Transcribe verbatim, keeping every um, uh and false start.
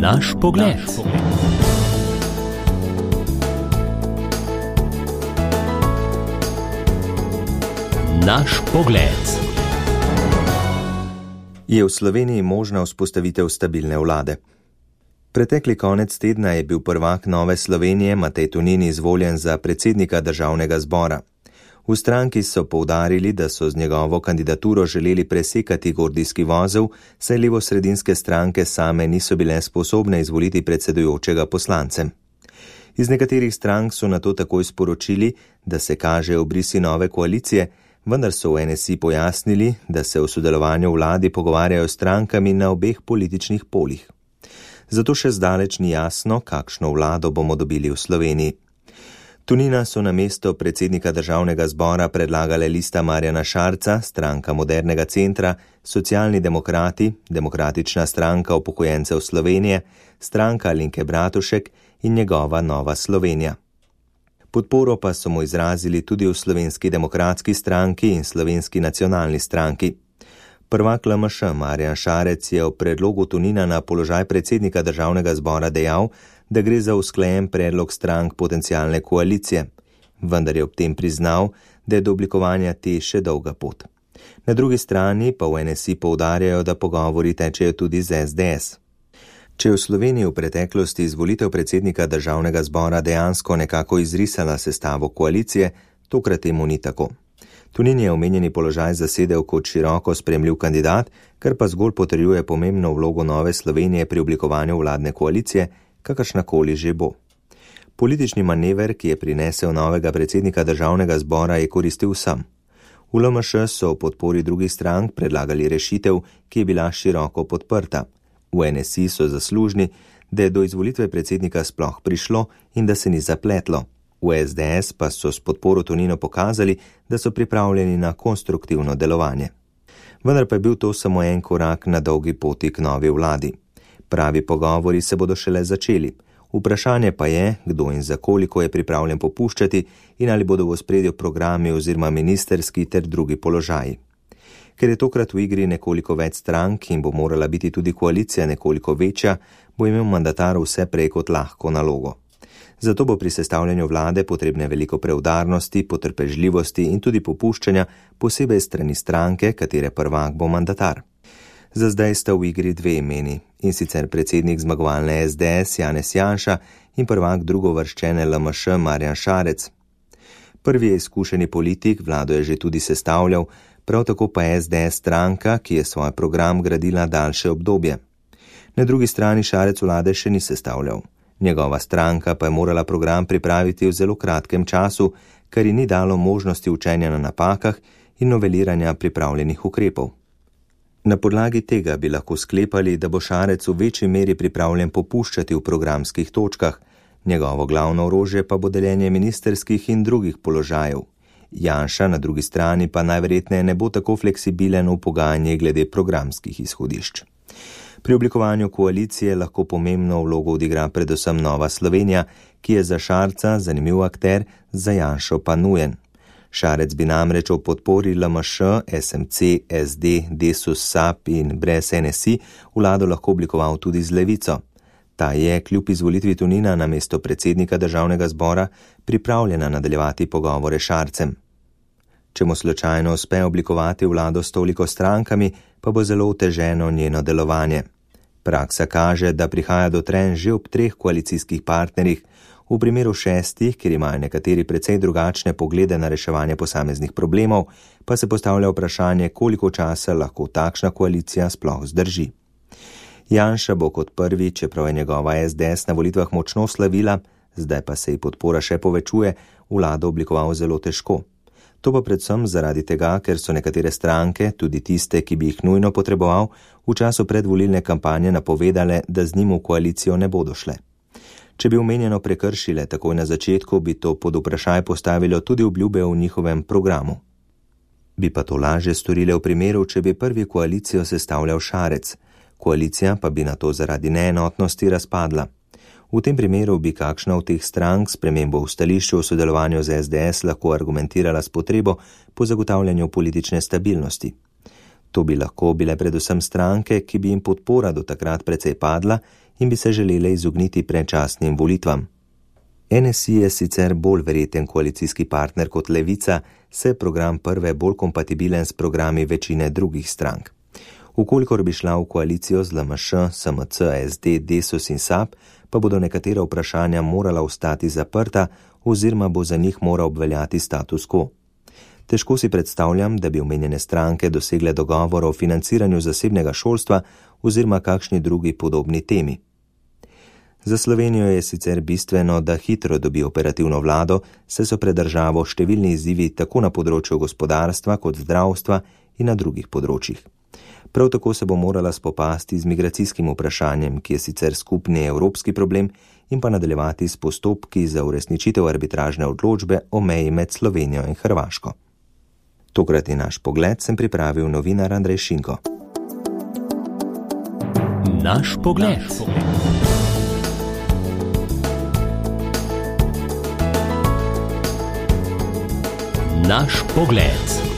Naš pogled. Naš pogled. Je v Sloveniji možna vzpostavitev stabilne vlade? Pretekli konec tedna je bil prvak Nove Slovenije Matej Tonin izvoljen za predsednika državnega zbora. V stranki so poudarili, da so z njegovo kandidaturo želeli presekati gordijski vozel, saj levosredinske stranke same niso bile sposobne izvoliti predsedujočega poslancem. Iz nekaterih strank so nato takoj sporočili, da se kaže obrisi nove koalicije, vendar so v N S I pojasnili, da se v sodelovanju v vladi pogovarjajo s strankami na obeh političnih polih. Zato še zdaleč ni jasno, kakšno vlado bomo dobili v Sloveniji. Tonina so na mesto predsednika državnega zbora predlagale Lista Marjana Šarca, Stranka modernega centra, Socialni demokrati, Demokratična stranka upokojencev Slovenije, Stranka Alenke Bratušek in njegova Nova Slovenija. Podporo pa so mu izrazili tudi v Slovenski demokratski stranki in Slovenski nacionalni stranki. Prvak L M Š Marjan Šarec je v predlogu Tonina na položaj predsednika državnega zbora dejal, da gre za usklajen predlog strank potencialne koalicije, vendar je ob tem priznal, da je do oblikovanja te še dolga pot. Na drugi strani pa v N S I poudarjajo, da pogovori tečejo tudi z S D S. Če je v Sloveniji v preteklosti izvolitev predsednika državnega zbora dejansko nekako izrisala sestavo koalicije, tokrat temu ni tako. Tonin je omenjeni položaj zasedel kot široko spremljiv kandidat, kar pa zgolj potrjuje pomembno vlogo Nove Slovenije pri oblikovanju vladne koalicije, kakršnakoli že bo. Politični manever, ki je prinesel novega predsednika državnega zbora, je koristil vsem. V L M Š so v podpori drugih strank predlagali rešitev, ki je bila široko podprta. V N S I so zaslužni, da je do izvolitve predsednika sploh prišlo in da se ni zapletlo. V S D S pa so s podporo Toninu pokazali, da so pripravljeni na konstruktivno delovanje. Vendar pa je bil to samo en korak na dolgi poti k novi vladi. Pravi pogovori se bodo šele začeli. Vprašanje pa je, kdo in za koliko je pripravljen popuščati in ali bodo v ospredju programi oziroma ministerski ter drugi položaji. Ker je tokrat v igri nekoliko več strank in bo morala biti tudi koalicija nekoliko večja, bo imel mandatar vse prej kot lahko nalogo. Zato bo pri sestavljanju vlade potrebne veliko preudarnosti, potrpežljivosti in tudi popuščanja, posebej strani stranke, katere prvak bo mandatar. Za zdaj sta v igri dve imeni, in sicer predsednik zmagovalne S D S Janez Janša in prvak drugovrščene L M Š Marjan Šarec. Prvi je izkušeni politik, vlado je že tudi sestavljal, prav tako pa S D S stranka, ki je svoj program gradila daljše obdobje. Na drugi strani Šarec vlade še ni sestavljal. Njegova stranka pa je morala program pripraviti v zelo kratkem času, kar ji ni dalo možnosti učenja na napakah in noveliranja pripravljenih ukrepov. Na podlagi tega bi lahko sklepali, da bo Šarec v večji meri pripravljen popuščati v programskih točkah, njegovo glavno orožje pa bo deljenje ministerskih in drugih položajev. Janša na drugi strani pa najverjetneje ne bo tako fleksibilen v pogajanjih glede programskih izhodišč. Pri oblikovanju koalicije lahko pomembno vlogo odigra predvsem Nova Slovenija, ki je za Šarca zanimiv akter, za Janšo pa nujen. Šarec bi namreč v podpori L M Š, S M C, S D, Desus, S A P in brez N S I vlado lahko oblikoval tudi z Levico. Ta je, kljub izvolitvi Tonina na mesto predsednika državnega zbora, pripravljena nadaljevati pogovore s Šarcem. Če mu slučajno uspe oblikovati vlado s toliko strankami, pa bo zelo oteženo njeno delovanje. Praksa kaže, da prihaja do trenj že ob treh koalicijskih partnerjih, v primeru šestih, kjer imajo nekateri precej drugačne poglede na reševanje posameznih problemov, pa se postavlja vprašanje, koliko časa lahko takšna koalicija sploh zdrži. Janša bo kot prvi, čeprav je njegova S D S na volitvah močno slavila, zdaj pa se ji podpora še povečuje, vlado oblikoval zelo težko. To pa predvsem zaradi tega, ker so nekatere stranke, tudi tiste, ki bi jih nujno potreboval, v času predvolilne kampanje napovedale, da z njim v koalicijo ne bodo šle. Če bi omenjeno prekršile takoj na začetku, bi to pod vprašaj postavilo tudi obljube v njihovem programu. Bi pa to lažje storile v primeru, če bi prvi koalicijo sestavljal Šarec, koalicija pa bi na to zaradi neenotnosti razpadla. V tem primeru bi kakšna od teh strank spremembo v stališču v sodelovanju z S D S lahko argumentirala s potrebo po zagotavljanju politične stabilnosti. To bi lahko bile predvsem stranke, ki bi jim podpora do takrat precej padla in bi se želele izogniti predčasnim volitvam. N S I je sicer bolj verjeten koalicijski partner kot Levica, se program prve bolj kompatibilen s programi večine drugih strank. Ukolikor bi šla v koalicijo z L M Š, S M C, S D, Desus in S A B, pa bodo nekatera vprašanja morala ostati zaprta oziroma bo za njih moral obveljati status quo. Težko si predstavljam, da bi omenjene stranke dosegle dogovor o financiranju zasebnega šolstva oziroma kakšni drugi podobni temi. Za Slovenijo je sicer bistveno, da hitro dobi operativno vlado, saj so pred državo številni izzivi tako na področju gospodarstva kot zdravstva in na drugih področjih. Prav tako se bo morala spopasti z migracijskim vprašanjem, ki je sicer skupni evropski problem, in pa nadaljevati s postopki za uresničitev arbitražne odločbe o meji med Slovenijo in Hrvaško. Tokrat je naš pogled sem pripravil novinar Andrej Šinko. Naš pogled. Naš pogled.